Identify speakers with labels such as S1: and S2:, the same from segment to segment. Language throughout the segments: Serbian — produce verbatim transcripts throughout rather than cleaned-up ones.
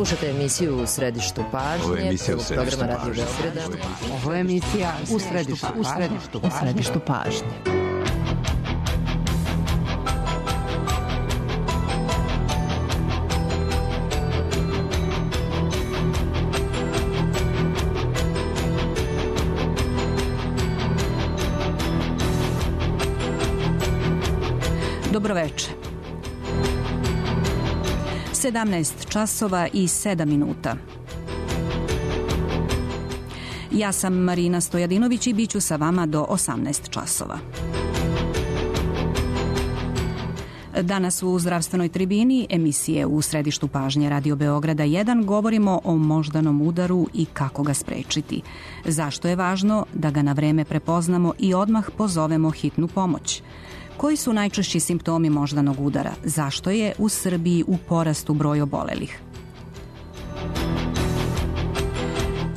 S1: Slušate emisiju U središtu pažnje.
S2: Ovo je emisija U središtu
S1: programa Radio
S2: pažnje.
S1: Beograda.
S3: Ovo je emisija U središtu pažnje. U središtu pažnje.
S4: Dobroveče. sedamnaest časova i sedam minuta. Ja sam Marina Stojadinović i bit ću sa vama do osamnaest časova. Danas u zdravstvenoj tribini emisije U središtu pažnje Radio Beograda jedan govorimo o moždanom udaru i kako ga sprečiti. Zašto je važno da ga na vreme prepoznamo i odmah pozovemo hitnu pomoć? Koji su najčešći simptomi moždanog udara? Zašto je u Srbiji u porastu broj obolelih?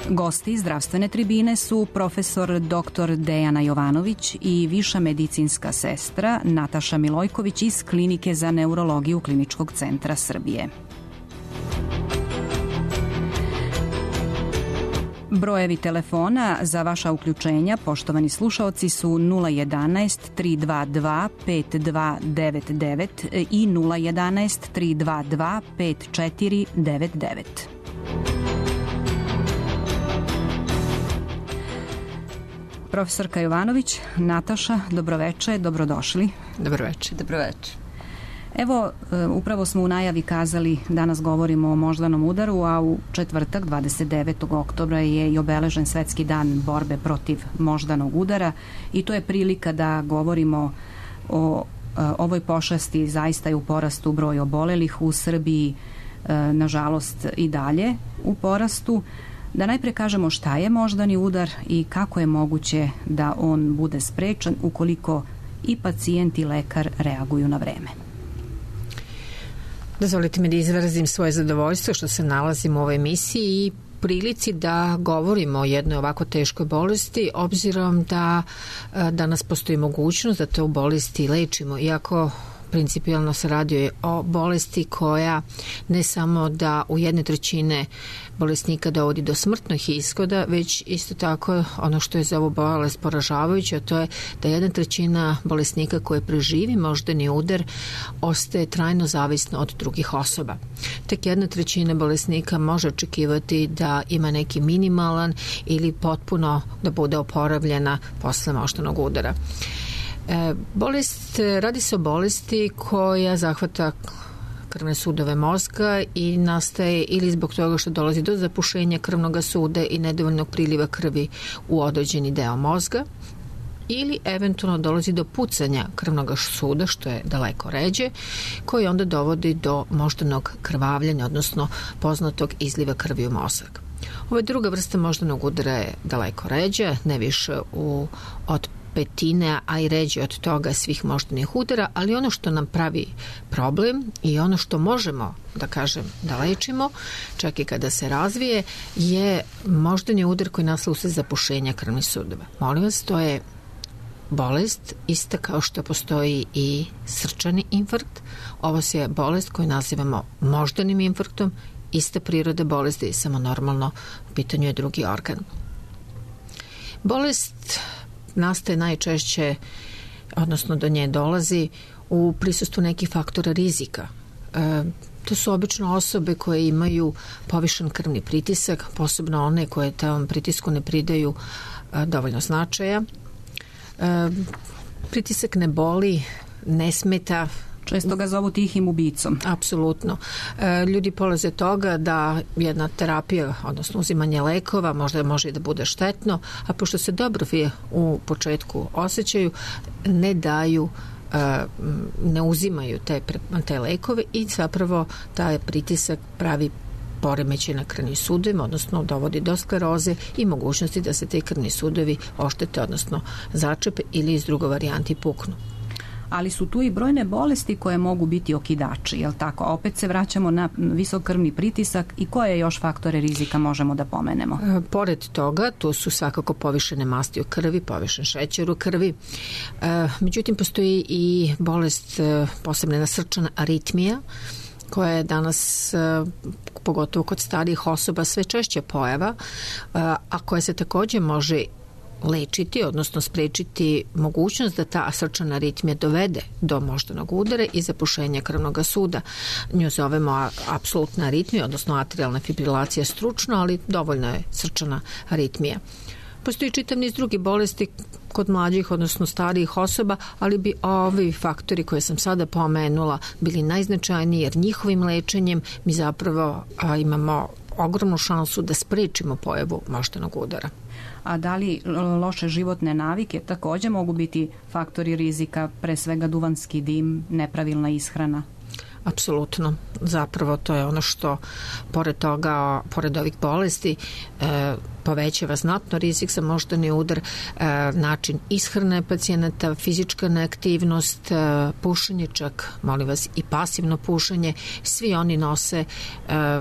S4: Gosti zdravstvene tribine su profesor doktor Dejana Jovanović i viša medicinska sestra Nataša Milojković iz Klinike za neurologiju Kliničkog centra Srbije. Brojevi telefona za vaša uključenja, poštovani slušaoci, su nula jedanaest tri dva dva pet dva devet devet i nula jedanaest tri dva dva pet četiri devet devet. Profesorka Jovanović, Nataša, dobroveče, dobrodošli.
S3: Dobroveče.
S5: Dobroveče.
S4: Evo, upravo smo u najavi kazali, danas govorimo o moždanom udaru, a u četvrtak, dvadeset devetog oktobra, je i obeležen Svetski dan borbe protiv moždanog udara i to je prilika da govorimo o ovoj pošasti. Zaista je u porastu broj obolelih u Srbiji, nažalost i dalje u porastu. Da najpre kažemo šta je moždani udar i kako je moguće da on bude sprečen ukoliko i pacijent i lekar reaguju na vreme.
S3: Dozvolite mi da izrazim svoje zadovoljstvo što se nalazim u ovoj emisiji i prilici da govorimo o jednoj ovako teškoj bolesti, obzirom da danas postoji mogućnost da to bolesti lečimo, iako principijalno se radi o bolesti koja ne samo da u jedne trećine bolesnika dovodi do smrtnih ishoda, već isto tako ono što je za ovu bolest poražavajuće, a to je da jedna trećina bolesnika koje preživi moždani udar ostaje trajno zavisno od drugih osoba. Tek jedna trećina bolesnika može očekivati da ima neki minimalan ili potpuno da bude oporavljena posle moždanog udara. E, bolest, radi se o bolesti koja zahvata krvne sudove mozga i nastaje ili zbog toga što dolazi do zapušenja krvnog suda i nedovoljnog priliva krvi u određeni deo mozga, ili eventualno dolazi do pucanja krvnog suda, što je daleko ređe, koji onda dovodi do moždanog krvavljenja, odnosno poznatog izliva krvi u mozak. Ova druga vrsta moždanog udara je daleko ređa, ne više u, od petine, a i ređe od toga svih moždanih udara, ali ono što nam pravi problem i ono što možemo, da kažem, da lečimo, čak i kada se razvije, je moždani udar koji nastane usled zapušenja krvnih sudova. Molim vas, to je bolest ista kao što postoji i srčani infarkt. Ovo je bolest koju nazivamo moždanim infarktom, ista priroda bolesti, samo normalno u pitanju je drugi organ. Bolest nastaje najčešće, odnosno do nje dolazi u prisustvu nekih faktora rizika. E, to su obično osobe koje imaju povišen krvni pritisak, posebno one koje tom pritisku ne pridaju e, dovoljno značaja. E, pritisak ne boli, ne smeta.
S4: Često ga zovu tihim ubicom.
S3: Apsolutno. E, ljudi polaze toga da jedna terapija, odnosno uzimanje lekova, možda može i da bude štetno, a pošto se dobro u početku osjećaju, ne daju, e, ne uzimaju te, te lekove i zapravo taj pritisak pravi poremećaj na krvnim sudovima, odnosno dovodi do skleroze i mogućnosti da se te krvni sudovi oštete, odnosno začepe ili iz drugo varijanti puknu.
S4: Ali su tu i brojne bolesti koje mogu biti okidači, jel tako? Opet se vraćamo na visok krvni pritisak i koje još faktore rizika možemo da pomenemo?
S3: E, pored toga, tu su svakako povišene masti u krvi, povišen šećer u krvi. E, međutim, postoji i bolest, e, posebna srčana aritmija, koja je danas, pogotovo kod starijih osoba, sve češće pojava, a koja se takođe može lečiti, odnosno sprečiti mogućnost da ta srčana aritmija dovede do moždanog udara i zapušenja krvnog suda. Nju zovemo apsolutna aritmija, odnosno atrijalna fibrilacija stručno, ali dovoljno je srčana aritmija. Postoji čitav niz drugih bolesti kod mlađih, odnosno starijih osoba, ali bi ovi faktori koje sam sada pomenula bili najznačajniji, jer njihovim lečenjem mi zapravo a, imamo ogromnu šansu da sprečimo pojavu moždanog udara.
S4: A da li loše životne navike takođe mogu biti faktori rizika, pre svega duvanski dim, nepravilna ishrana?
S3: Apsolutno. Zapravo to je ono što pored toga, pored ovih bolesti e, povećava znatno rizik za moždani udar, e, način ishrane pacijenata, fizička neaktivnost, e, pušenje čak, molim vas, i pasivno pušenje, svi oni nose e,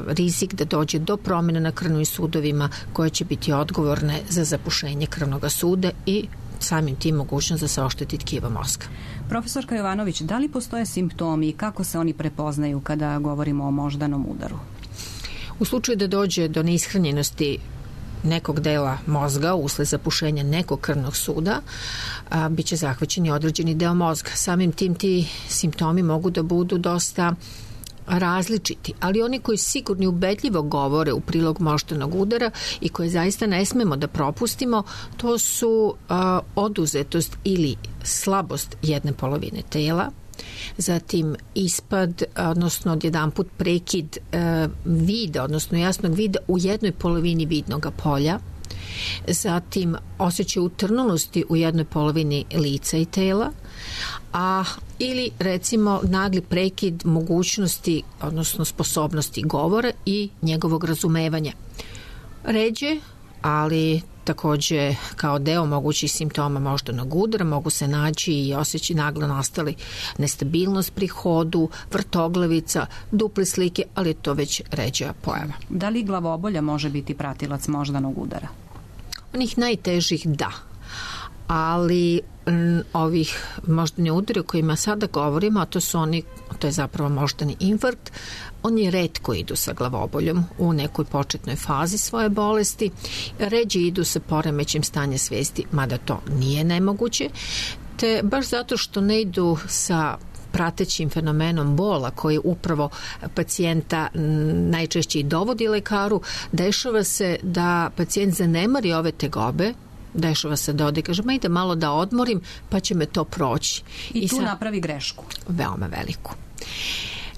S3: rizik da dođe do promjene na krvnim sudovima koje će biti odgovorne za zapušenje krvnog suda i samim tim mogućnost da se ošteti tkivo mozga.
S4: Profesorka Jovanović, da li postoje simptomi i kako se oni prepoznaju kada govorimo o moždanom udaru?
S3: U slučaju da dođe do neishranjenosti nekog dela mozga usled zapušenja nekog krvnog suda, a, bit će zahvaćen i određeni deo mozga. Samim tim ti simptomi mogu da budu dosta različiti, ali oni koji sigurno ubedljivo govore u prilog moždanog udara i koje zaista ne smemo da propustimo, to su a, oduzetost ili slabost jedne polovine tela, zatim ispad, odnosno odjedanput prekid e, vida, odnosno jasnog vida u jednoj polovini vidnog polja, zatim osjećaj utrnulosti u jednoj polovini lica i tela, a ili recimo nagli prekid mogućnosti, odnosno sposobnosti govora i njegovog razumevanja. Ređe, ali takođe kao deo mogućih simptoma moždanog udara mogu se naći i osjećaj naglo nastali nestabilnost pri hodu, vrtoglavica, duple slike, ali je to već ređa pojava.
S4: Da li glavobolja može biti pratilac moždanog udara?
S3: Onih najtežih da, ali m, ovih moždani udari o kojima sada govorimo, a to su oni, to je zapravo moždani infarkt, oni retko idu sa glavoboljom u nekoj početnoj fazi svoje bolesti, ređe idu sa poremećem stanja svesti, mada to nije nemoguće, te baš zato što ne idu sa pratećim fenomenom bola koji upravo pacijenta najčešće i dovodi lekaru, dešava se da pacijent zanemari ove tegobe, dešava se da ode i kaže, ma ide malo da odmorim, pa će me to proći.
S4: I, I tu
S3: sad,
S4: napravi grešku.
S3: Veoma veliku.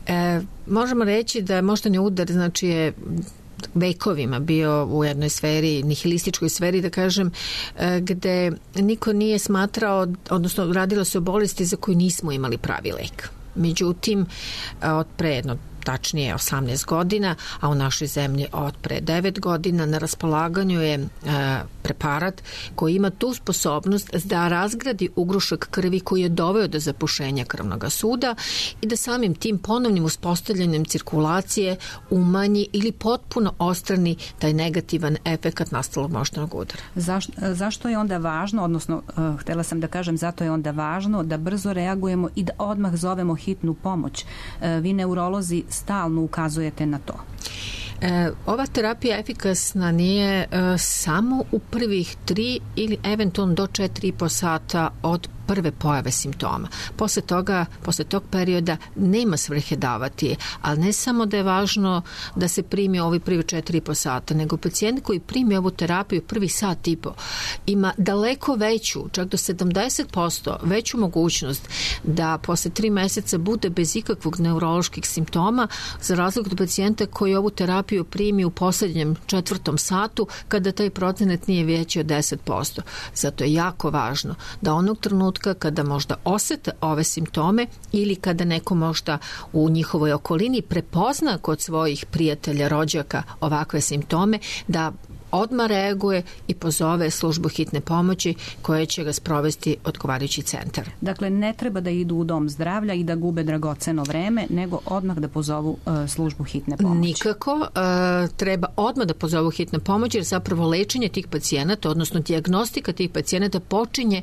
S3: E, možemo reći da je moždani udar, znači je vekovima bio u jednoj sferi, nihilističkoj sferi, da kažem, gde niko nije smatrao, odnosno radilo se o bolesti za koju nismo imali pravi lek. Međutim, od pre jedno tačnije osamnaest godina, a u našoj zemlji od pre devet godina na raspolaganju je e, preparat koji ima tu sposobnost da razgradi ugrušak krvi koji je doveo do zapušenja krvnog suda i da samim tim ponovnim uspostavljanjem cirkulacije umanji ili potpuno odstrani taj negativan efekat nastalog moždanog udara.
S4: Zaš, zašto je onda važno, odnosno uh, htela sam da kažem, zato je onda važno da brzo reagujemo i da odmah zovemo hitnu pomoć. Uh, vi neurolozi stalno ukazujete na to.
S3: E, ova terapija efikasna nije e, samo u prvih tri ili eventualno do četiri i po sata od prve pojave simptoma. Posle toga, posle tog perioda nema svrhe davati je, ali ne samo da je važno da se primi ovi prvi četiri i po sata, nego pacijent koji primi ovu terapiju prvi sat i po ima daleko veću, čak do sedamdeset posto veću mogućnost da posle tri meseca bude bez ikakvog neuroloških simptoma, za razliku od pacijenta koji ovu terapiju primi u poslednjem četvrtom satu kada taj procenat nije veći od deset posto. Zato je jako važno da onog trenutka kada možda osete ove simptome ili kada neko možda u njihovoj okolini prepozna kod svojih prijatelja, rođaka ovakve simptome, da odmah reaguje i pozove službu hitne pomoći koja će ga sprovesti odgovarajući centar.
S4: Dakle, ne treba da idu u dom zdravlja i da gube dragoceno vreme, nego odmah da pozovu uh, službu hitne pomoći.
S3: Nikako. Uh, treba odmah da pozovu hitne pomoći, jer zapravo lečenje tih pacijenata, odnosno dijagnostika tih pacijenata počinje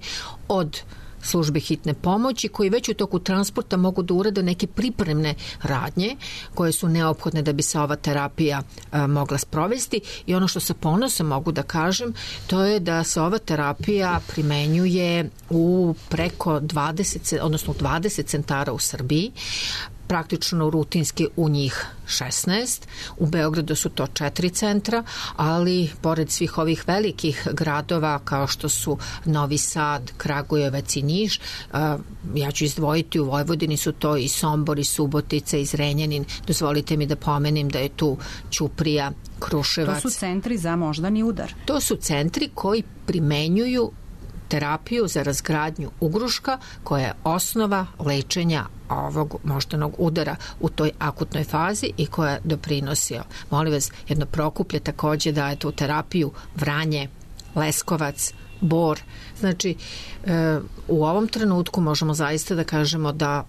S3: od službe hitne pomoći koji već u toku transporta mogu da urade neke pripremne radnje koje su neophodne da bi se ova terapija a, mogla sprovesti i ono što sa ponosom mogu da kažem to je da se ova terapija primenjuje u preko dvadeset, odnosno dvadeset centara u Srbiji, praktično rutinski u njih šesnaest. U Beogradu su to četiri centra, ali pored svih ovih velikih gradova kao što su Novi Sad, Kragujevac i Niš, ja ću izdvojiti u Vojvodini su to i Sombor, i Subotica, i Zrenjanin. Dozvolite mi da pomenem da je tu Ćuprija, Kruševac.
S4: To su centri za moždani udar.
S3: To su centri koji primenjuju terapiju za razgradnju ugruška koja je osnova lečenja ovog moždanog udara u toj akutnoj fazi i koja doprinosi. Molim vas, jedno Prokuplje takođe daje tu terapiju, Vranje, Leskovac, Bor. Znači, e, u ovom trenutku možemo zaista da kažemo da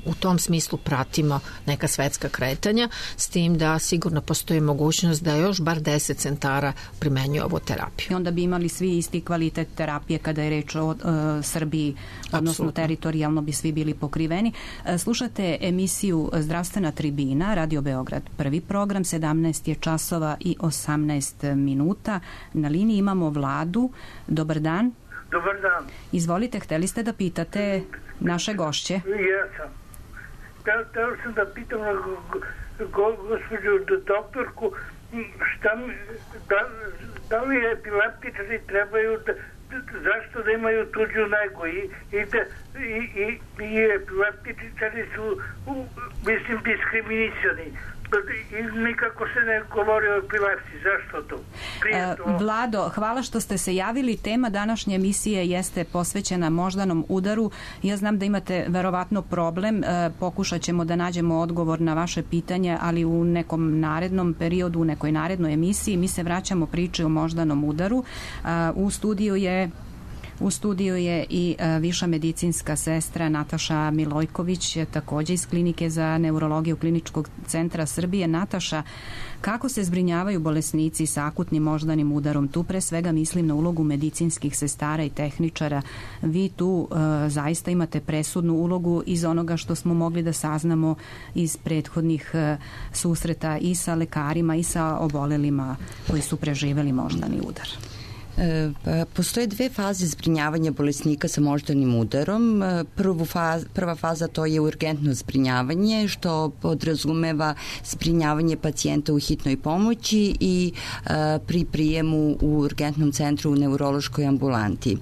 S3: u tom smislu pratimo neka svetska kretanja, s tim da sigurno postoji mogućnost da još bar deset centara primenjuju ovu terapiju.
S4: I onda bi imali svi isti kvalitet terapije kada je reč o uh, Srbiji, odnosno Absolutno. Teritorijalno bi svi bili pokriveni. Uh, slušate emisiju Zdravstvena tribina, Radio Beograd, prvi program, sedamnaest je časova i osamnaest minuta. Na liniji imamo Vladu. Dobar dan.
S2: Dobar dan.
S4: Izvolite, hteli ste da pitate naše gošće?
S2: Jesam. Htio sam da pitam na go, gospođu doktorku šta mi, da, da li epileptičari trebaju da, zašto da imaju tuđu negu i, i, da, i, i, i epileptičari su mislim diskriminisani i nikako se ne govori o epilepsiji. Zašto to?
S4: E, Vlado, hvala što ste se javili. Tema današnje emisije jeste posvećena moždanom udaru. Ja znam da imate verovatno problem. E, pokušat ćemo da nađemo odgovor na vaše pitanje, ali u nekom narednom periodu, u nekoj narednoj emisiji. Mi se vraćamo priči o moždanom udaru. E, u studiju je U studiju je i viša medicinska sestra Nataša Milojković, takođe iz Klinike za neurologiju Kliničkog centra Srbije. Nataša, kako se zbrinjavaju bolesnici sa akutnim moždanim udarom? Tu pre svega mislim na ulogu medicinskih sestara i tehničara. Vi tu uh, zaista imate presudnu ulogu iz onoga što smo mogli da saznamo iz prethodnih uh, susreta i sa lekarima i sa obolelima koji su preživeli moždani udar.
S5: Postoje dve faze zbrinjavanja bolesnika sa moždanim udarom. Prvu faz, prva faza to je urgentno zbrinjavanje, što podrazumeva zbrinjavanje pacijenta u hitnoj pomoći i a, pri prijemu u urgentnom centru u neurološkoj ambulanti.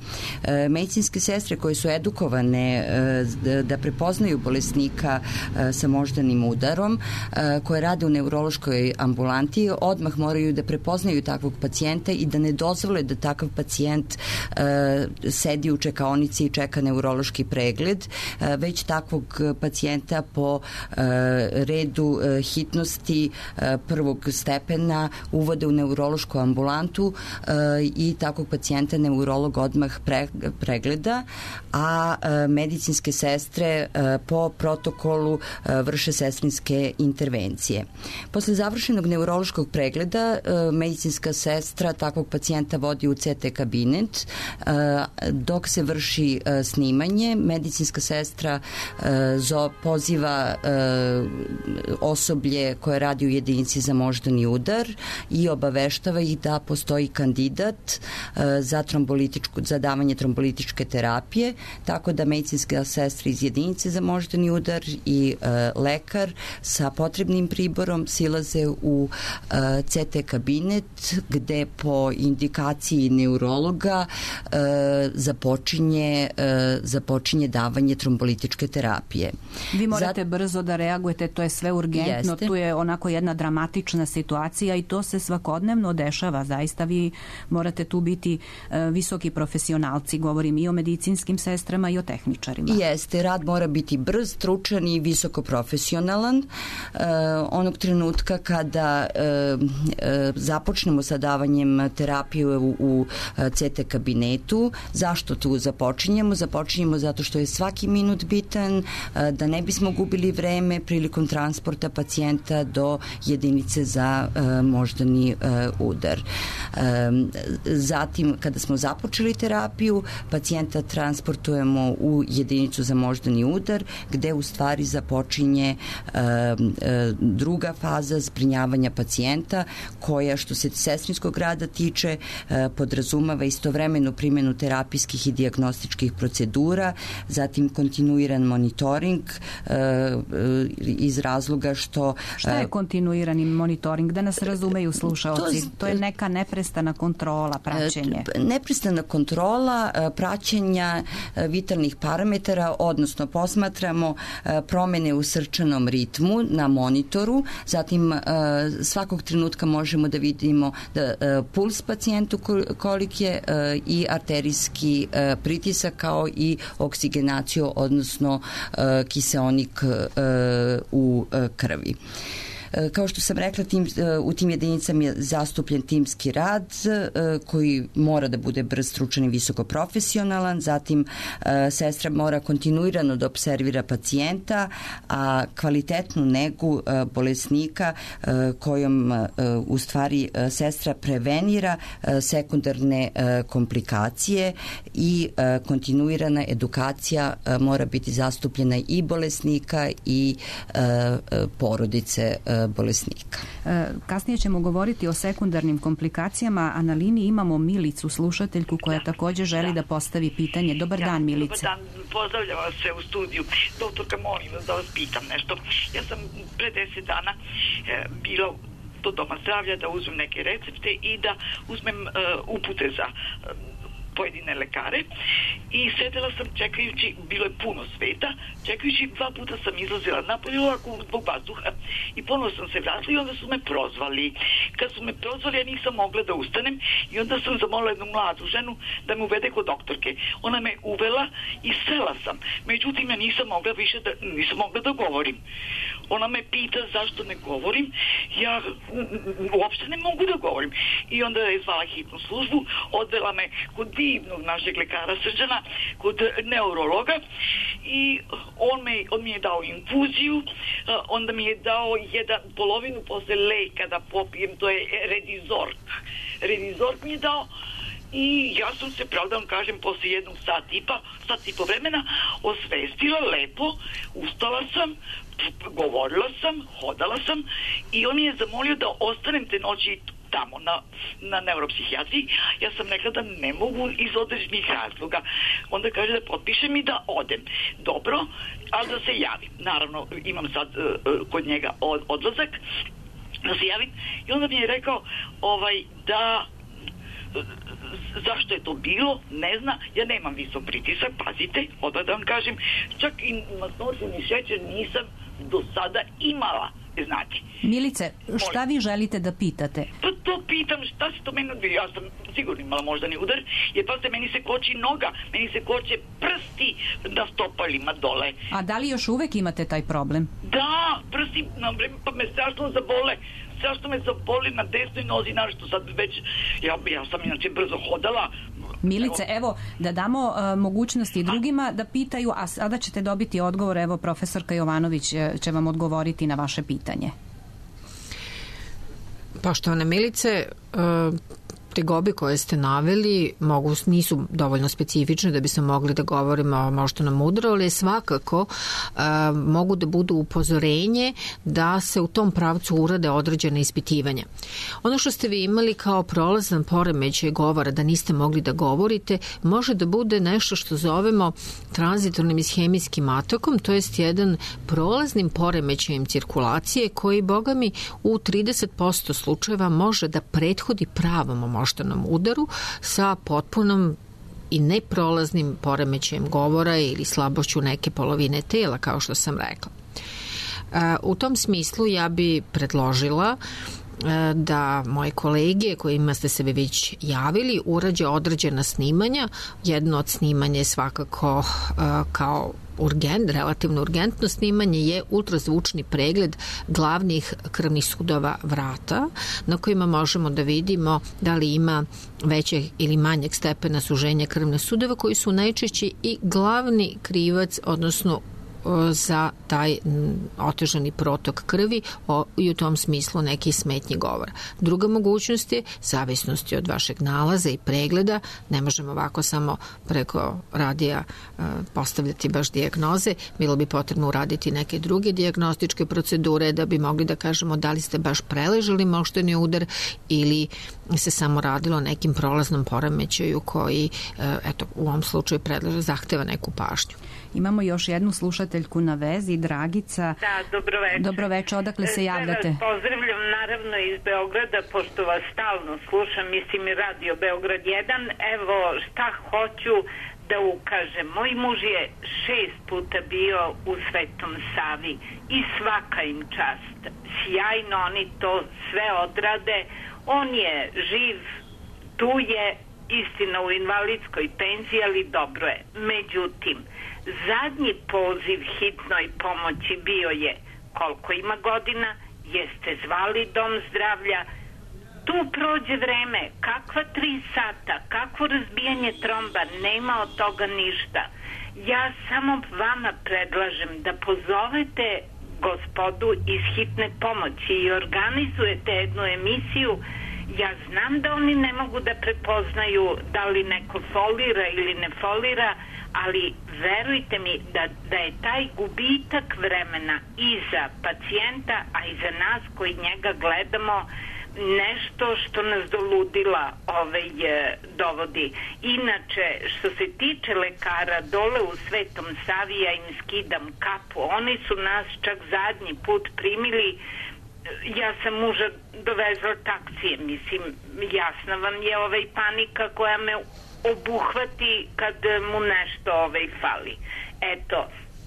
S5: A, medicinske sestre koje su edukovane a, da, da prepoznaju bolesnika a, sa moždanim udarom, a, koje rade u neurološkoj ambulanti, odmah moraju da prepoznaju takvog pacijenta i da ne dozvole da takav pacijent uh, sedi u čekaonici i čeka neurološki pregled, uh, već takvog pacijenta po uh, redu uh, hitnosti uh, prvog stepena uvode u neurološku ambulantu uh, i takvog pacijenta neurolog odmah pre, pregleda, a uh, medicinske sestre uh, po protokolu uh, vrše sestrinske intervencije. Posle završenog neurološkog pregleda uh, medicinska sestra takvog pacijenta vodi u C T kabinet. Dok se vrši snimanje, medicinska sestra poziva osoblje koje radi u jedinici za moždani udar i obaveštava ih da postoji kandidat za, trombolitičku, za davanje trombolitičke terapije, tako da medicinska sestra iz jedinice za moždani udar i lekar sa potrebnim priborom silaze u C T kabinet gde po indikaciji neurologa e, započinje, e, započinje davanje trombolitičke terapije.
S4: Vi morate Zat... brzo da reagujete, to je sve urgentno, Jeste. Tu je onako jedna dramatična situacija i to se svakodnevno dešava. Zaista vi morate tu biti e, visoki profesionalci, govorim i o medicinskim sestrama i o tehničarima.
S5: Jeste, rad mora biti brz, stručan i visoko profesionalan. E, onog trenutka kada e, e, započnemo sa davanjem terapije u u C T kabinetu. Zašto tu započinjemo? Započinjemo zato što je svaki minut bitan, da ne bismo gubili vreme prilikom transporta pacijenta do jedinice za moždani udar. Zatim, kada smo započeli terapiju, pacijenta transportujemo u jedinicu za moždani udar, gde u stvari započinje druga faza zbrinjavanja pacijenta, koja što se sestrinskog rada tiče podrazumava istovremenu primjenu terapijskih i dijagnostičkih procedura, zatim kontinuiran monitoring iz razloga što...
S4: Šta je kontinuirani monitoring? Da nas razumeju slušaoci. To, to je neka neprestana kontrola, praćenje.
S5: Neprestana kontrola praćenja vitalnih parametara, odnosno posmatramo promene u srčanom ritmu na monitoru, zatim svakog trenutka možemo da vidimo da puls pacijentu kolik je i arterijski pritisak kao i oksigenaciju, odnosno kiseonik u krvi. Kao što sam rekla, tim, u tim jedinicama je zastupljen timski rad koji mora da bude brz, stručan i visoko profesionalan, zatim sestra mora kontinuirano da observira pacijenta, a kvalitetnu negu bolesnika kojom u stvari sestra prevenira sekundarne komplikacije i kontinuirana edukacija mora biti zastupljena i bolesnika i porodice bolesnika.
S4: Kasnije ćemo govoriti o sekundarnim komplikacijama, a na liniji imamo Milicu, slušateljku, koja da. također želi da postavi pitanje. Dobar ja, dan, Milice.
S6: Dobar dan, pozdravljam vas se u studiju. Doktorka, molim vas da vas pitam nešto. Ja sam pre deset dana e, bila do doma zdravlja da uzmem neke recepte i da uzmem e, upute za e, pojedine lekare i sedela sam čekajući, bilo je puno sveta, čekajući, dva puta sam izlazila napolje ovako zbog vazduha i ponovo sam se vratila i onda su me prozvali. Kad su me prozvali, ja nisam mogla da ustanem i onda sam zamolila jednu mladu ženu da me uvede kod doktorke. Ona me uvela i sela sam. Međutim, ja nisam mogla više da, nisam mogla da govorim. Ona me pita zašto ne govorim. Ja uopšte ne mogu da govorim. I onda je zvala hitnu službu, odvela me kod divnog našeg lekara Srđana, kod neurologa i on, me, on mi je dao infuziju, onda mi je dao jedan polovinu posle leka da popijem, to je Redizork. Redizork mi je dao i ja sam se, pravda vam kažem, posle jednog sat i pa, sat i po vremena osvestila lepo, ustala sam, govorila sam, hodala sam i on mi je zamolio da ostanem te noći tamo na, na neuropsihijatriji. Ja sam rekla da ne mogu iz određenih razloga. Onda kaže da potpišem i da odem. Dobro, ali da se javim. Naravno, imam sad uh, kod njega od, odlazak, da se javim i onda mi je rekao ovaj, da zašto je to bilo, ne zna, ja nemam visok pritisak, pazite, odmah da vam kažem, čak i masnoću ni šećer nisam do sada imala, znate.
S4: Milice, šta vi želite da pitate?
S6: Pa to pitam, šta se to meni odbili, ja sam sigurno imala moždani udar, jer pa se meni se koči noga, meni se koče prsti na stopalima dole.
S4: A da li još uvek imate taj problem?
S6: Da, prsti, na vreme, pa me strašno zabole, strašno me zaboli na desnoj nozi, našto sad već, ja, ja sam inače brzo hodala.
S4: Milice, evo, da damo uh, mogućnosti drugima da pitaju, a sada ćete dobiti odgovor, evo, profesorka Jovanović će vam odgovoriti na vaše pitanje.
S3: Poštovane Milice, uh, tegobe koje ste naveli mogu, nisu dovoljno specifične da bi se mogli da govorimo o moždanom udaru, ali svakako uh, mogu da budu upozorenje da se u tom pravcu urade određene ispitivanja. Ono što ste vi imali kao prolazan poremećaj govora, da niste mogli da govorite, može da bude nešto što zovemo tranzitornim ishemijskim atakom, to jest jedan prolaznim poremećajem cirkulacije koji, boga mi, u trideset posto slučajeva može da prethodi pravom moždanom udaru sa potpunom i neprolaznim poremećajem govora ili slabošću neke polovine tela, kao što sam rekla. U tom smislu ja bi predložila da moje kolege kojima ste se već javili urađe određena snimanja. Jedno od snimanja je svakako kao urgent, relativno urgentno snimanje je ultrazvučni pregled glavnih krvnih sudova vrata na kojima možemo da vidimo da li ima većeg ili manjeg stepena suženja krvnih sudova koji su najčešće i glavni krivac, odnosno za taj otežani protok krvi i u tom smislu neki smetnji govora. Druga mogućnost je zavisnosti od vašeg nalaza i pregleda. Ne možemo ovako samo preko radija postavljati baš dijagnoze. Bilo bi potrebno uraditi neke druge dijagnostičke procedure da bi mogli da kažemo da li ste baš preležali moždani udar ili se samo radilo o nekim prolaznom poremećaju koji, eto, u ovom slučaju predlaže, zahteva neku pažnju.
S4: Imamo još jednu slušateljku na vezi, Dragica.
S7: Da, dobroveče.
S4: Dobroveče, odakle se javljate?
S7: Vas pozdravljam naravno iz Beograda, pošto vas stalno slušam, mislim i radio Beograd jedan. Evo šta hoću da ukažem. Moj muž je šest puta bio u Svetom Savi i svaka im čast. Sjajno oni to sve odrade. On je živ, tu je, istina u invalidskoj penziji, ali dobro je. Međutim, zadnji poziv hitnoj pomoći bio je koliko ima godina, jeste zvali dom zdravlja, tu prođe vreme, kakva tri sata, kakvo razbijanje tromba, nema od toga ništa. Ja samo vama predlažem da pozovete gospodu iz hitne pomoći i organizujete jednu emisiju. Ja znam da oni ne mogu da prepoznaju da li neko folira ili ne folira, ali verujte mi da, da je taj gubitak vremena i za pacijenta, a i za nas koji njega gledamo, nešto što nas do ludila ovaj, dovodi. Inače, što se tiče lekara dole u Svetom Savi, ja im skidam kapu. Oni su nas čak zadnji put primili. Ja sam muža dovezla taksije, mislim, jasna vam je ovaj panika koja me obuhvati kad mu nešto ovaj fali. Eto,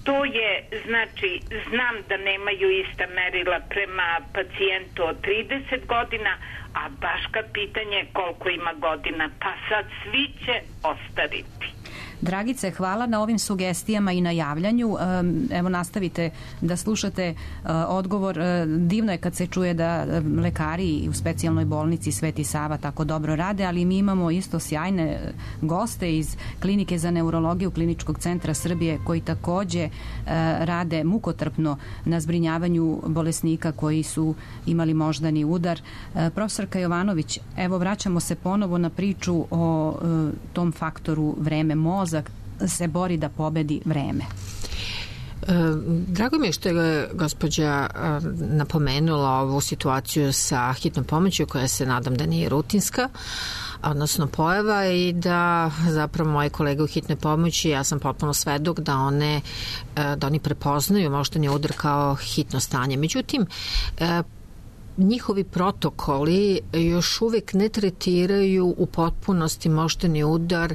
S7: to je, znači, znam da nemaju ista merila prema pacijentu od trideset godina, a baška pitanje koliko ima godina, pa sad svi će ostariti.
S4: Dragice, hvala na ovim sugestijama i na javljanju. Evo, nastavite da slušate odgovor. Divno je kad se čuje da lekari u specijalnoj bolnici Sveti Sava tako dobro rade, ali mi imamo isto sjajne goste iz Klinike za neurologiju Kliničkog centra Srbije koji takođe rade mukotrpno na zbrinjavanju bolesnika koji su imali moždani udar. Profesorka Jovanović, evo vraćamo se ponovo na priču o tom faktoru vreme. Mozak se bori da pobedi vreme.
S3: Drago mi je što je gospođa napomenula ovu situaciju sa hitnom pomoću koja se nadam da nije rutinska, odnosno pojava, i da zapravo moje kolege u hitnoj pomoći, ja sam potpuno svedok da one da oni prepoznaju moždani udar kao hitno stanje. Međutim, njihovi protokoli još uvek ne tretiraju u potpunosti moždani udar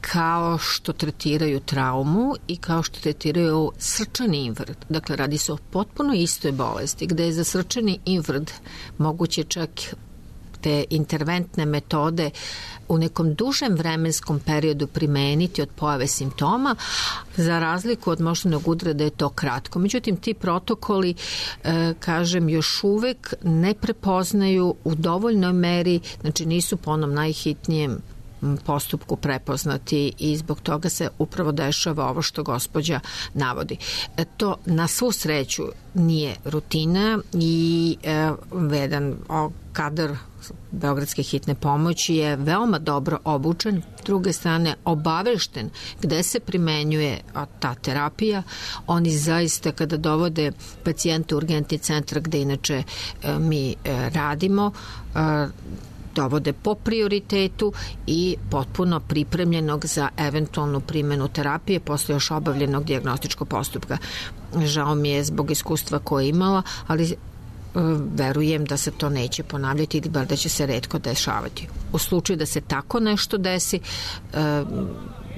S3: kao što tretiraju traumu i kao što tretiraju srčani infarkt. Dakle, radi se o potpuno istoj bolesti, gde je za srčani infarkt moguće čak te interventne metode u nekom dužem vremenskom periodu primeniti od pojave simptoma, za razliku od moždanog udara da je to kratko. Međutim, ti protokoli, e, kažem, još uvek ne prepoznaju u dovoljnoj meri, znači nisu po onom najhitnijem postupku prepoznati i zbog toga se upravo dešava ovo što gospođa navodi. E, to na svu sreću nije rutina i e, jedan o, kadar Beogradske hitne pomoći je veoma dobro obučen, s druge strane obavešten gde se primenjuje ta terapija. Oni zaista kada dovode pacijente u urgentni centar gde inače e, mi e, radimo, e, dovode po prioritetu i potpuno pripremljenog za eventualnu primjenu terapije posle još obavljenog dijagnostičkog postupka. Žao mi je zbog iskustva koje je imala, ali verujem da se to neće ponavljati ili bar da će se retko dešavati. U slučaju da se tako nešto desi,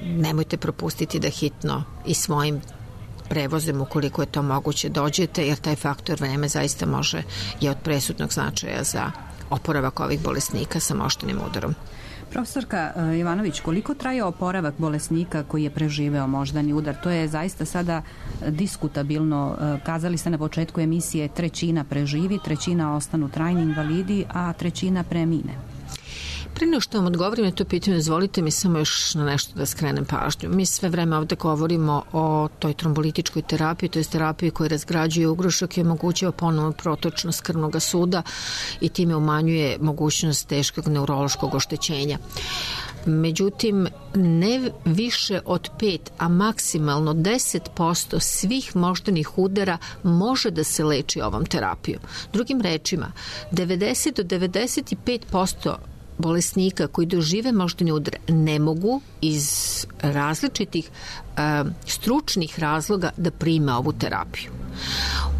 S3: nemojte propustiti da hitno i svojim prevozem ukoliko je to moguće dođete, jer taj faktor vreme zaista može je od presudnog značaja za oporavak ovih bolesnika sa moždanim udarom.
S4: Profesorka Jovanović, koliko traje oporavak bolesnika koji je preživeo moždani udar? To je zaista sada diskutabilno. Kazali ste na početku emisije trećina preživi, trećina ostanu trajni invalidi, a trećina premine.
S3: Pre nego što vam odgovorim na to pitanje, dozvolite mi samo još na nešto da skrenem pažnju. Mi sve vreme ovde govorimo o toj trombolitičkoj terapiji, to je terapiji koja razgrađuje ugrušak i omogućava ponovno protočnost krvnog suda i time umanjuje mogućnost teškog neurološkog oštećenja. Međutim, ne više od pet, a maksimalno deset posto svih moždanih udara može da se leči ovom terapijom. Drugim rečima, devedeset do devedeset pet posto bolesnika koji dožive moždani udar ne mogu iz različitih uh, stručnih razloga da prime ovu terapiju.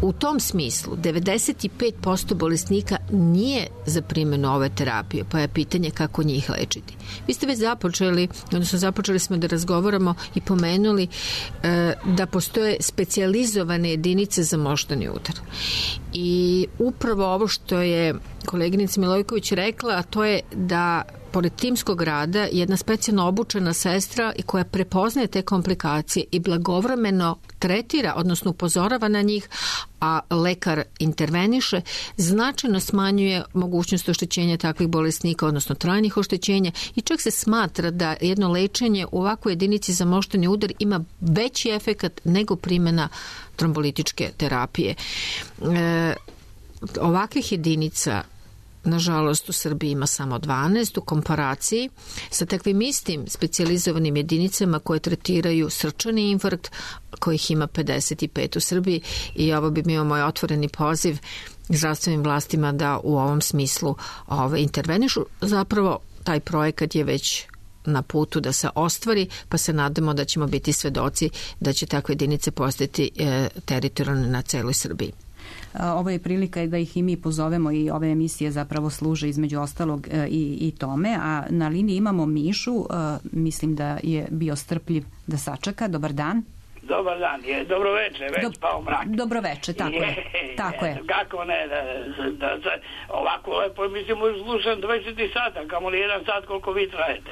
S3: U tom smislu, devedeset pet posto bolesnika nije za primjenu ove terapije, pa je pitanje kako njih lečiti. Vi ste već započeli, odnosno započeli smo da razgovaramo i pomenuli e, da postoje specijalizovane jedinice za moždani udar. I upravo ovo što je koleginica Milojković rekla, a to je da pored timskog rada jedna specijalno obučena sestra i koja prepoznaje te komplikacije i blagovremeno tretira, odnosno upozorava na njih, a lekar interveniše, značajno smanjuje mogućnost oštećenja takvih bolesnika, odnosno trajnih oštećenja, i čak se smatra da jedno lečenje u ovakvoj jedinici za moždani udar ima veći efekat nego primjena trombolitičke terapije. E, ovakvih jedinica nažalost u Srbiji ima samo dvanaest u komparaciji sa takvim istim specijalizovanim jedinicama koje tretiraju srčani infarkt, kojih ima pedeset pet u Srbiji, i ovo bi bio moj otvoreni poziv zdravstvenim vlastima da u ovom smislu ove, intervenišu. Zapravo taj projekat je već na putu da se ostvari, pa se nadamo da ćemo biti svedoci da će takve jedinice postati e, teritorijalne na celoj Srbiji.
S4: Ovo je prilika da ih i mi pozovemo i ove emisije zapravo služe između ostalog i, i tome, a na liniji imamo Mišu, mislim da je bio strpljiv da sačeka. Dobar dan.
S8: Dobar dan, je, dobro veče, već Do, pao mrak.
S4: Dobro veče, tako je, je tako je.
S8: Kako ne, da, da, da, ovako lepo, mislim, slušam dvadeset sata, kamo li jedan sat koliko vi trajete.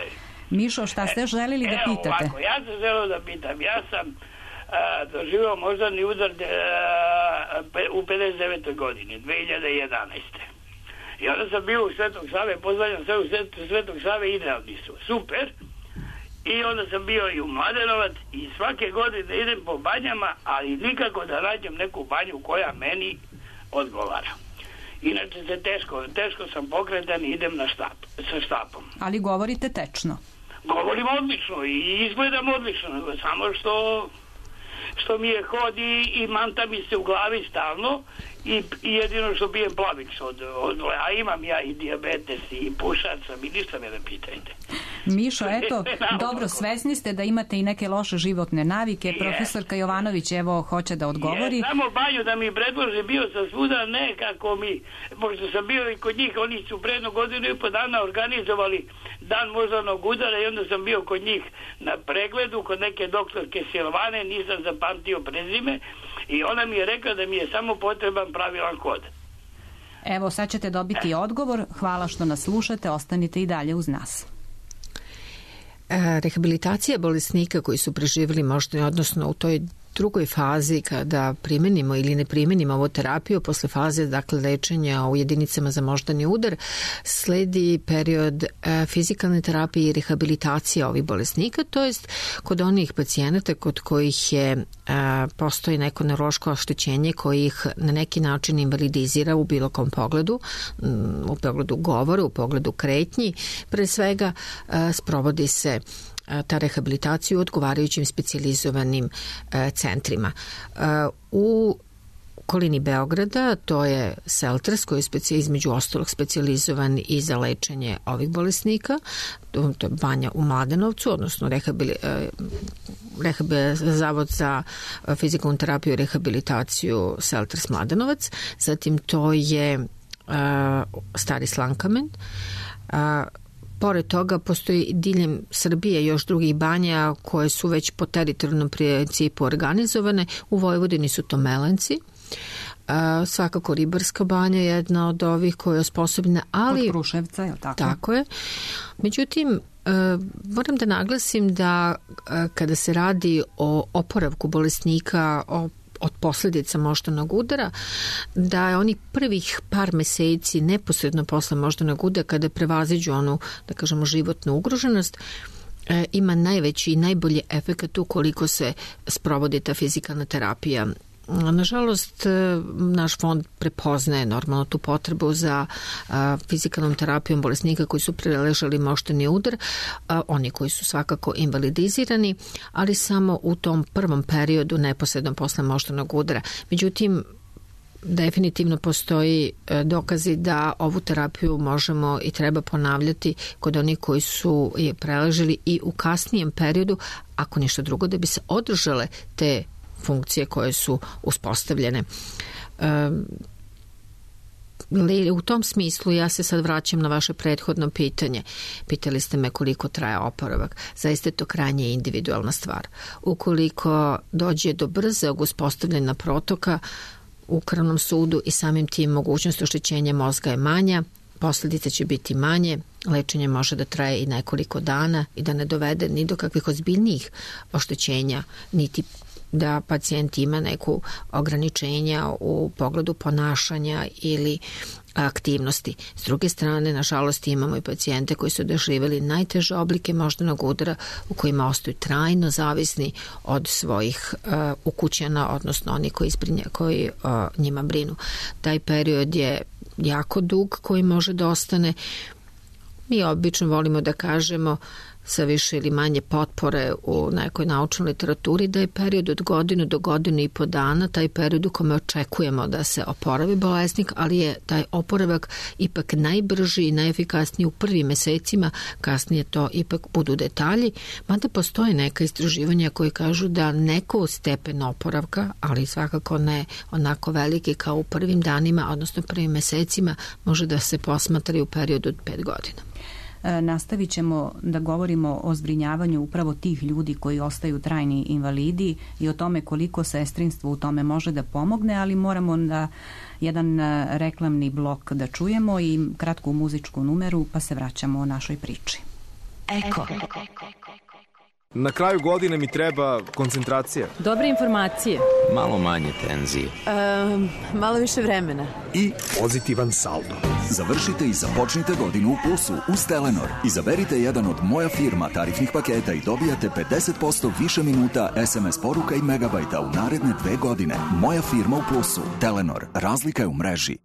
S4: Mišo, šta ste želili da pitate?
S8: Evo ovako, ja sam želeo da pitam, ja sam doživao moždani udar u pedeset devetoj godini, dve hiljade jedanaeste. I onda sam bio u Svetog Save, pozdravljam sve u Svetog Save, idealni su, super. I onda sam bio i u Mladenovac i svake godine idem po banjama, ali nikako da nađem neku banju koja meni odgovara. Inače se teško, teško sam pokretan i idem na štap, sa štapom.
S4: Ali govorite tečno.
S8: Govorim odlično i izgledam odlično, samo što... što mi je hodi i manta mi se u glavi stalno i, i jedino što pijem plavić od, od, a imam ja i dijabetes i pušac sam i ništa me ne pitajte.
S4: Mišo, eto, dobro, svesni ste da imate i neke loše životne navike. Je. Profesorka Jovanović, evo, hoće da odgovori.
S8: Je, samo banju da mi predlože, bio sam svuda, nekako mi, pošto sam bio i kod njih, oni su predno godinu i po dana organizovali dan moždanog udara i onda sam bio kod njih na pregledu, kod neke doktorke Silvane, nisam zapamtio prezime i ona mi je rekla da mi je samo potreban pravilan kod.
S4: Evo, sad ćete dobiti odgovor. Hvala što nas slušate, ostanite i dalje uz nas.
S3: Rehabilitacija bolesnika koji su preživjeli možda, odnosno u toj drugoj fazi kada primenimo ili ne primenimo ovu terapiju, posle faze dakle lečenja u jedinicama za moždani udar, sledi period e, fizikalne terapije i rehabilitacije ovih bolesnika, to jest kod onih pacijenata kod kojih je e, postoji neko neurološko oštećenje koji ih na neki način invalidizira u bilo kom pogledu, u pogledu govora, u pogledu kretnji, pre svega e, sprovodi se ta rehabilitacija u odgovarajućim specijalizovanim e, centrima. E, u okolini Beograda to je Selters koji je specijal, između ostalog specijalizovan i za lečenje ovih bolesnika, to je banja u Mladenovcu, odnosno rehabilit, e, rehabilit, Zavod za fizikalnu terapiju i rehabilitaciju Selters Mladenovac, zatim to je e, Stari Slankamen, e, pored toga postoji diljem Srbije još drugih banja koje su već po teritorijalnom principu organizovane. U Vojvodini su to Melenci. Uh, svakako Ribarska banja je jedna od ovih koja je osposobljena, ali...
S4: Od Kruševca, je li tako?
S3: Tako je. Međutim, uh, moram da naglasim da uh, kada se radi o oporavku bolesnika, o od posljedica moždanog udara, da je oni prvih par meseci neposredno posle moždanog udara, kada prevaziđu onu, da kažemo, životnu ugroženost, e, ima najveći i najbolji efekat ukoliko se sprovodi ta fizikalna terapija. Nažalost, naš fond prepoznaje normalno tu potrebu za a, fizikalnom terapijom bolesnika koji su preležali moždani udar, a, oni koji su svakako invalidizirani, ali samo u tom prvom periodu neposredno posle moždanog udara. Međutim, definitivno postoji dokazi da ovu terapiju možemo i treba ponavljati kod onih koji su je preležali i u kasnijem periodu, ako ništa drugo, da bi se održale te funkcije koje su uspostavljene. E, u tom smislu ja se sad vraćam na vaše prethodno pitanje. Pitali ste me koliko traje oporavak. Zaista je to krajnje individualna stvar. Ukoliko dođe do brzog uspostavljena protoka u krvnom sudu i samim tim mogućnost oštećenja mozga je manja, posljedice će biti manje, lečenje može da traje i nekoliko dana i da ne dovede ni do kakvih ozbiljnijih oštećenja, niti da pacijent ima neku ograničenja u pogledu ponašanja ili aktivnosti. S druge strane, nažalost, imamo i pacijente koji su doživjeli najteže oblike moždanog udara u kojima ostaju trajno zavisni od svojih uh, ukućana, odnosno oni koji, zbrinja, koji uh, njima brinu. Taj period je jako dug koji može da ostane. Mi obično volimo da kažemo sa više ili manje potpore u nekoj naučnoj literaturi da je period od godinu do godinu i po dana taj period u kome očekujemo da se oporavi bolesnik, ali je taj oporavak ipak najbrži i najefikasniji u prvim mesecima, kasnije to ipak budu detalji, mada postoje neka istraživanja koji kažu da neko stepen oporavka, ali svakako ne onako veliki kao u prvim danima, odnosno prvim mesecima, može da se posmatra u periodu od pet godina.
S4: Nastavit ćemo da govorimo o zbrinjavanju upravo tih ljudi koji ostaju trajni invalidi i o tome koliko sestrinstvo u tome može da pomogne, ali moramo da jedan reklamni blok da čujemo i kratku muzičku numeru, pa se vraćamo o našoj priči.
S9: Eko. Na kraju godine mi treba koncentracija.
S10: Dobre informacije.
S11: Malo manje tenzije.
S10: Um, malo više vremena.
S12: I pozitivan saldo. Završite i započnite godinu u plusu uz Telenor. Izaberite jedan od Moja firma tarifnih paketa i dobijate pedeset posto više minuta es em es poruka i megabajta u naredne dve godine. Moja firma u plusu. Telenor. Razlika je u mreži.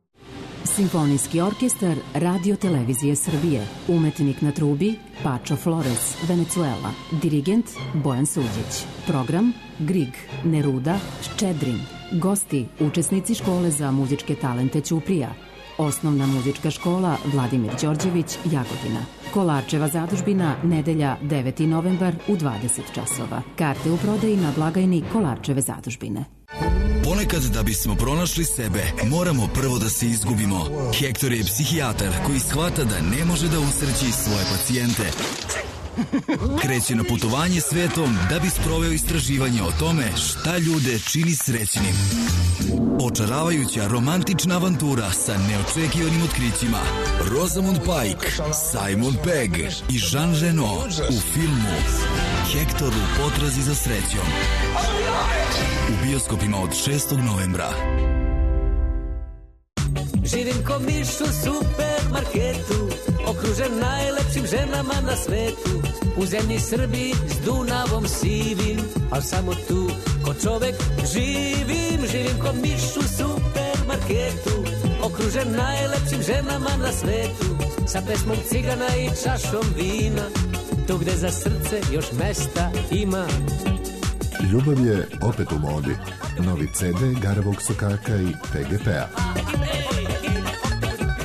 S13: Simfonijski orkestar Radio Televizije Srbije. Umetnik na trubi Pačo Flores, Venezuela. Dirigent Bojan Suđić. Program Grig, Neruda, Ščedrin. Gosti, učesnici škole za muzičke talente Ćuprija. Osnovna muzička škola Vladimir Đorđević, Jagodina. Kolarčeva zadužbina, nedelja deveti novembar u dvadeset časova. Karte u prodaji na blagajni Kolarčeve zadužbine.
S14: Ponekad da bismo pronašli sebe, moramo prvo da se izgubimo. Hektor je psihijatar koji shvata da ne može da usreći svoje pacijente. Kreće na putovanje svetom da bi sproveo istraživanje o tome šta ljude čini srećnim. Očaravajuća romantična avantura sa neočekivanim otkrićima. Rosamund Pike, Simon Pegg i Jean Reno u filmu Hektor u potrazi za srećom. U bioskopima od šestog novembra.
S15: Živim ko miš u supermarketu, okružen najlepšim ženama na svetu. U zemlji Srbiji s Dunavom sivim, al samo tu ko čovek živim. Živim ko miš u supermarketu, okružen najlepšim ženama na svetu. Sa pesmom cigana i čašom vina, tu gde za srce još mesta ima.
S16: Ljubav je opet u modi. Novi ce de Garavog sokaka i te ge pe a.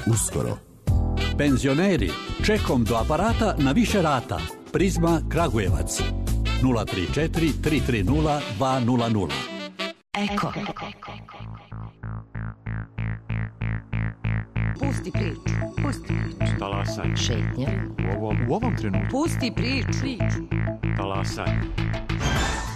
S16: Uskoro.
S17: Penzioneri, čekom do aparata na više rata. Prizma Kragujevac. nula tri četiri tri tri nula dva nula nula.
S18: Eko.
S1: Pusti priču. Pusti priču.
S18: Talasaj.
S1: Šetnja.
S18: U ovom, u ovom trenutku.
S1: Pusti priču. Priču.
S18: Talasaj.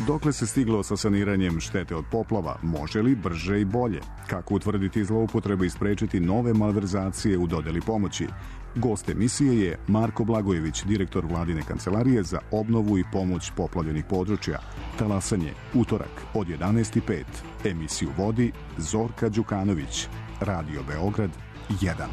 S19: Dokle se stiglo sa saniranjem štete od poplava? Može li brže i bolje? Kako utvrditi zloupotrebe i sprečiti nove malverzacije u dodeli pomoći? Gost emisije je Marko Blagojević, direktor Vladine kancelarije za obnovu i pomoć poplavljenih područja. Talasanje, utorak od jedanaest i pet. Emisiju vodi Zorka Đukanović. Radio Beograd jedan.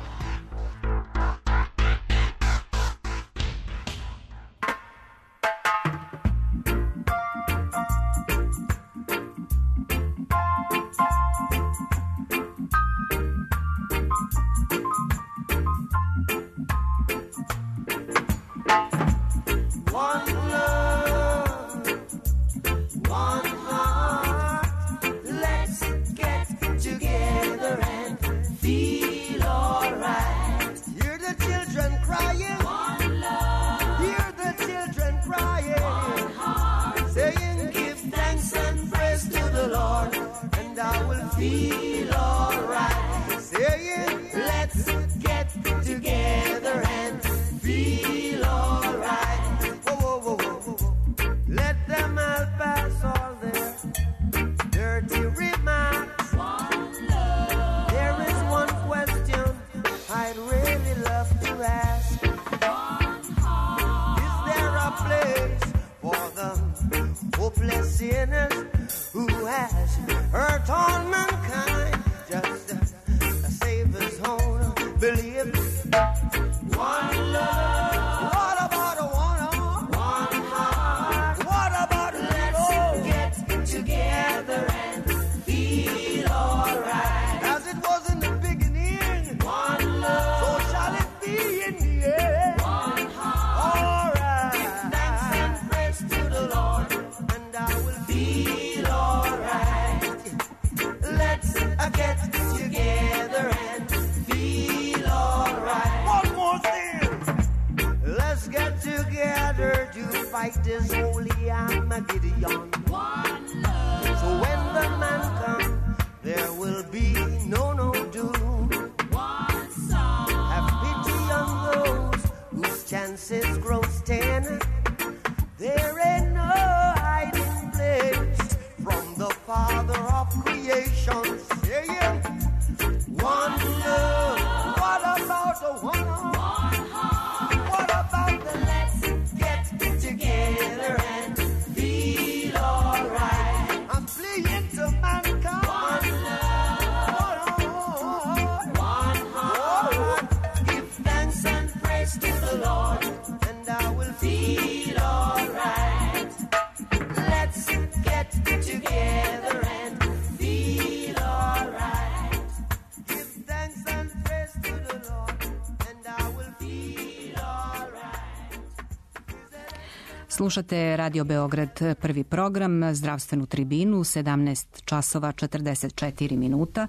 S4: Slušate Radio Beograd, prvi program, zdravstvenu tribinu, sedamnaest časova četrdeset četiri minuta.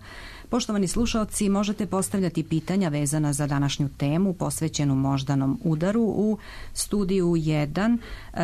S4: Poštovani slušaoci, možete postavljati pitanja vezana za današnju temu posvećenu moždanom udaru. U studiju jedan